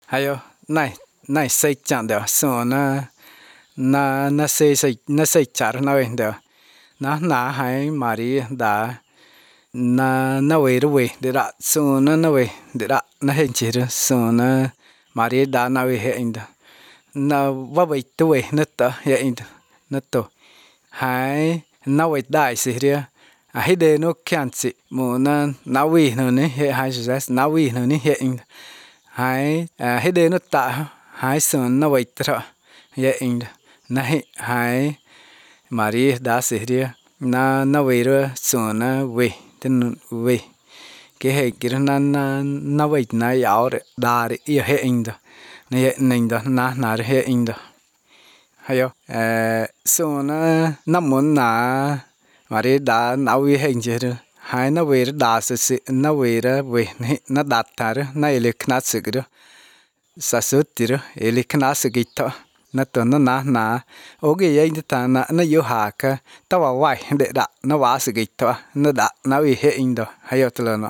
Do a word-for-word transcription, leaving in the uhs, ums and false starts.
hay yo này này xây chẳng được số nó nó nó xây xây nó xây chả nó vậy được nó nã hay mà đi đã nó nó về rồi về để đã số nó nó về để đã nó hiện chỉ rồi số nó mà đi đã nó về hiện được nó vào về tuổi nó tờ hiện được nó tờ hay nó về đại sự đi à hết đây nó kiên trì muốn nó nó về nó này hiện hay rồi nó về nó này hiện hay à hết đây nó tạ hay sơn nó vậy thôi hiện nó hiện hay mà đi đã sự đi nó nó về rồi sơn nó về tên về cái hệ cái nó nó nó vậy nó giàu đấy đa đấy yêu hiện đó nó hiện nên đó nó nó hiện đó hay yo à sơn nó nó muốn là mà đi đã nó về hiện chứ hay nó về đã sự sự nó về rồi về nó đạt thà rồi nó lấy khná sự cái đó sa sút thì rồi lấy khná sự cái đó nó tuần nó nã nã ok vậy thì ta nó nó yêu hà cái tao vào vay để đã nó vào sự cái đó nó đã nó về hiện đó hay yo tụi nó